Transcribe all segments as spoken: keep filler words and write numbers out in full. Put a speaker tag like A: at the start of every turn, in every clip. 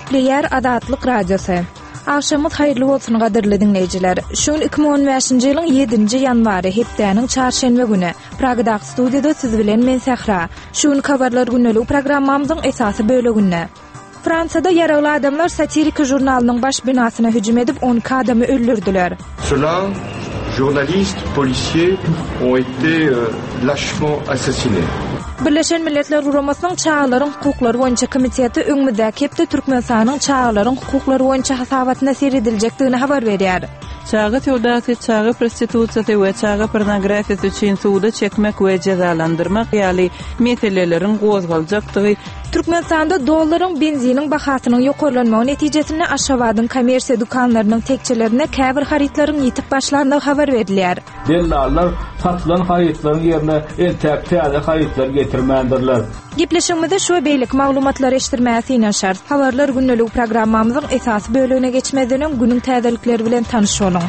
A: Gepleýär Azatlyk Radiosy. Agşamyňyz haýyrly bolsun gadyrly diňleýjiler. Şu gün iki müň on bäşinji ýylyň ýedinji ýanwary, hepdäniň çarşenbe güni. Pragadaky studiýada siz bilen men Sähra. Şu gün habarlar gündeligi programmamyzyň esasy böleginde. Fransada ýaragly adamlar satiriki žurnalynyň baş binasyna hüjüm edip on iki adamy öldürdiler.
B: Cela, journalistes, policiers ont été lâchement assassinés.
A: Birleşen Milletler Guramasynyň Çagalaryň hukuklary boýunça komiteti öňümizdäki hepde Türkmenistanyň çagalaryň hukuklary boýunça hasabatyna serediljekdigini habar berýär.
C: Çaga söwdasy, çaga prostitusiýasy we çaga pornografiýasy üçin suda çekmek we jezalandyrmak ýaly meseleleriň gozgaljakdygy
A: Türkmenistanda dollaryň benziniň bahasynyň ýokarlanmagy netijesinde Aşgabadyň kommersiýa dükanlarynyň tekjelerinde käbir harytlaryň ýitip başlandygy habar berilýär.
D: Dellallar satylan harytlaryň ýerine entäk täze harytlar getirmändirler.
A: Gepleşigimizde şu we beýleki maglumatlary eşitdirmäge synanyşarys. Habarlar gündelik programmamyzyň esasy bölegine geçmezden öň günüň täzelikleri bilen tanyş boluň.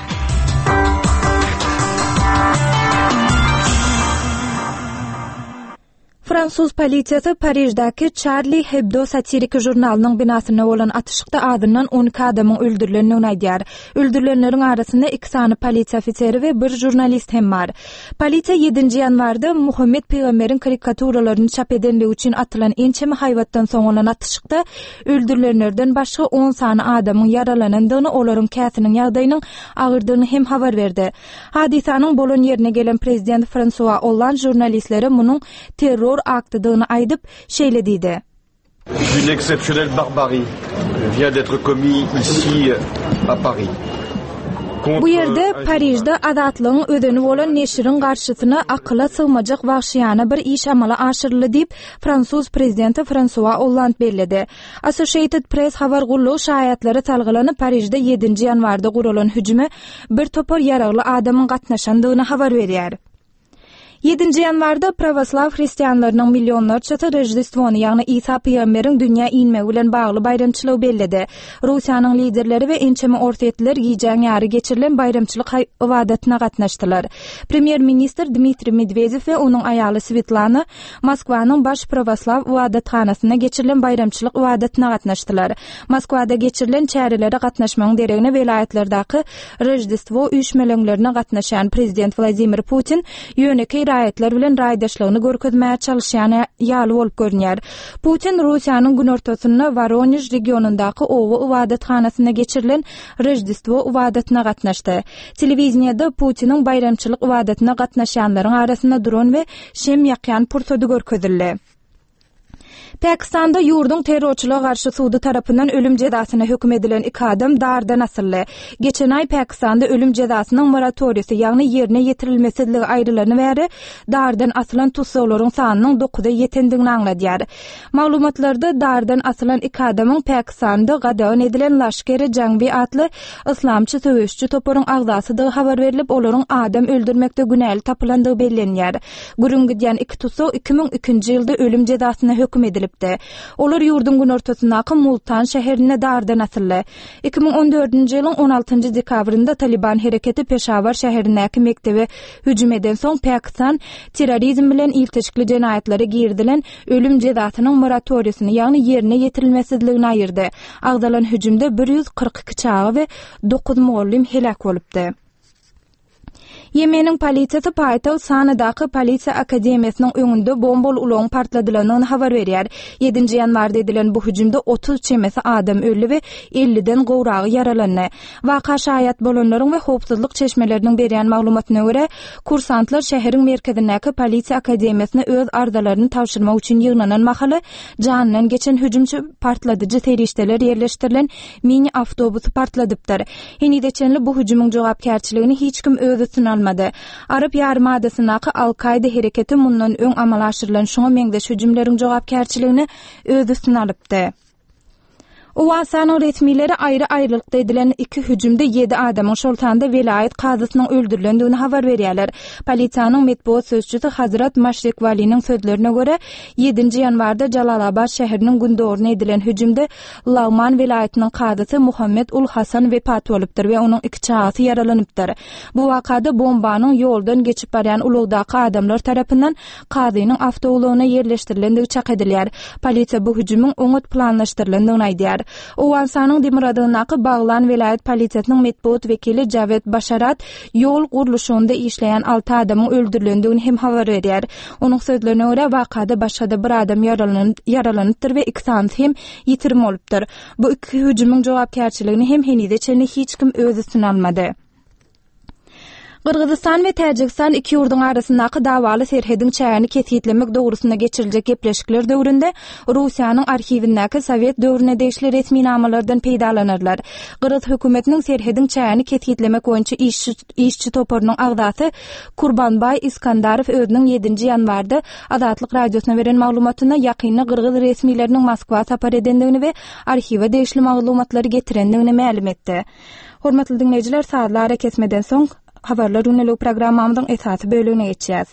A: Fransuz polisiýasy Pariždäki Charlie Hebdo satiriki žurnalynyň binasynda bolan atyşykda azyndan on iki adamyň öldürilendigini aýdýar. Öldürilenleriň arasynda iki sany polisiýa ofiseri we bir žurnalist hem bar. Polisiýa ýedinji ýanwarda Muhammet pygamberiň karikaturalaryny çap edenligi üçin atylan ençeme haýbatdan soň bolan atyşykda öldürilenlerden başga on sany adamyň ýaralanandygyny, olaryň käsiniň ýagdaýynyň agyrdygyny hem habar berdi. Hadysanyň bolan ýerine gelen prezident Fransua Olland žurnalistlere munuň terror aktydygyny aýdyp, şeýle diýdi.
B: Une exceptionnelle barbarie vient d'être commise ici à Paris.
A: Bu ýerde Parižde azatlygyň özeni bolan neşiriň garşysyna akyla sygmajak wagşyýana bir iş amala aşyryldy diýip, fransuz prezidenti Fransua Olland belledi. Associated Press habar gullugy şaýatlara salgylanyp Parižde ýedinji ýanwarda guralan hüjüme bir topar ýaragly adamyň gatnaşandygyny habar berýär. Ýedinji ýanwarda pravoslaw hristianlarynyň millionlarçasy Roždestwony, ýagny Isa pygamberiň dünýä inmegi bilen bagly baýramçylygy belledi. Russiýanyň liderleri we ençeme orsýetliler gijäň ýary geçirilen baýramçylyk ybadatyna gatnaşdylar. Premýer-ministr Dmitriý Medwedew we onuň aýaly Svetlana Moskwanyň baş pravoslaw ybadathanasynda geçirilen baýramçylyk ybadatyna gatnaşdylar. Moskwada geçirilen çärelere gatnaşmagyň deregine welaýatlardaky Roždestwo üýşmeleňlerine gatnaşan prezident Wladimir Putin ýönekeý raýatlar bilen raýdaşlygyny görkezmäge çalyşýan ýaly bolup görünýär. Putin Russiýanyň günortasynda Woronež regionyndaky oba ybadathanasynda geçirilen Roždestwo ybadatyna gatnaşdy. Telewiziyada Putiniň baýramçylyk ybadatyna gatnaşýanlaryň arasynda duran we şem ýakýan pursady görkezildi. Pakistanda ýurduň terrorçylyga garşy sudy tarapyndan ölüm jezasyna höküm edilen iki adam dardan asyldy. Geçen aý Pakistanda ölüm jezasynyň moratoriýasy, ýagny ýerine ýetirilmesizligi aýrylany bäri dardan asylan tussaglaryň sanynyň dokuza ýetendigini aňladýar. Maglumatlarda dardan asylan iki adamyň Pakistanda gadagan edilen Laşkeri Jangbi atly yslamçy söweşçi toparyň agzasydygy habar berilip, olaryň adam öldürmekde günäli tapylandygy bellenýär. Gürrüň gidýän iki tussag iki müň ikinji ýylda ölüm jezasyna höküm edilipdi. Olar ýurduň günortasyndaky Multan şäherinde dardan asyldy. Iki müň on dördünji ýylyň on altynjy dekabrynda Taliban hereketi Peşawar şäherindäki mekdebe hüjüm eden soň Pakistan terrorizm bilen ilteşikli jenaýatlara girizilen ölüm jezasynyň moratoriýasyny, ýagny ýerine ýetirilmesizligini aýyrdy. Agzalan hüjümde bir ýüz kyrk iki çaga we dokuz mugallym heläk bolupdy. Ýemeniň polisiýasy paýtagt Sanadaky polisiýa akademiýasynyň öňünde bombaly ulagyň partladylanyny habar berýär. Ýedinji ýanwarda edilen bu hüjümde otuz çemesi adam öldi we elliden gowragy ýaralandy. Waka şaýat bolanlaryň we howpsuzlyk çeşmeleriniň berýän maglumatyna görä, kursantlar şäheriň merkezindäki polisiýa akademiýasyna öz arzalaryny tabşyrmak üçin ýygnanan mahaly janyndan geçen hüjümçi partladyjy serişdeler ýerleşdirilen mini awtobusy partladypdyr. Henize çenli bu hüjümiň jogapkärçiligini hiç kim öz üstüne almady. Arap ýarymadasyndaky Al-Kaida hereketi mundan öň amala aşyrylan şoňa meňzeş hüjümleriň jogapkärçiligini öz üstüne alypdy. Owganystanyň resmileri aýry-aýrylykda edilen iki hüjümde ýedi adamyň, şol sanda welaýat kazysynyň öldürilendigini habar berýärler. Polisiýanyň metbugat sözçüsi Hazrat Maşrik Waliniň sözlerine görä, ýedinji ýanwarda Jalalabad şäheriniň gündogaryna edilen hüjümde Lagman welaýatynyň kazysy Muhammed Ul Hasan wepat bolupdyr we onuň iki çagasy ýaralanypdyr. Bu wakada bombanyň ýoldan geçip barýan ulagdaky adamlar tarapyndan kazynyň awtoulagyna ýerleşdirilendigi çak edilýär. Polisiýa bu hüjümiň oňat planlaşdyrylandygyny aýdýar. Owganystanyň demirgazygyndaky Baglan welaýat polisiýasynyň metbugat wekili Jawed Başarat ýol gurluşygynda işleýän alty adamyň öldürilendigini hem habar berýär. Onuň sözlerine görä, wakada başga-da bir adam ýaralanypdyr we iki sanysy hem ýitirim bolupdyr. Bu iki hüjümiň jogapkärçiligini hem henize çenli hiç kim öz üstüne almady. Gyrgyzystan we Täjigistan iki ýurduň arasyndaky dawaly serhediň çägini kesgitlemek dogrusynda geçiriljek gepleşikler döwründe Russiýanyň arhiwindäki sowet döwrüne degişli resminamalardan peýdalanarlar. Gyrgyz hökümetiniň serhediň çägini kesgitlemek boýunça işçi toparynyň agzasy Kurbanbaý Iskandarow özüniň ýedinji ýanwarda Azatlyk Radiosyna beren maglumatynda ýakynda gyrgyz resmileriniň Moskwa sapar edendigini we arhiwe degişli maglumatlary getirendigini mälim etdi. Hormatly diňleýjiler, sazly arakesmeden soň Habarlar gündeligi programmamyzyň esasy bölegine geçýäs.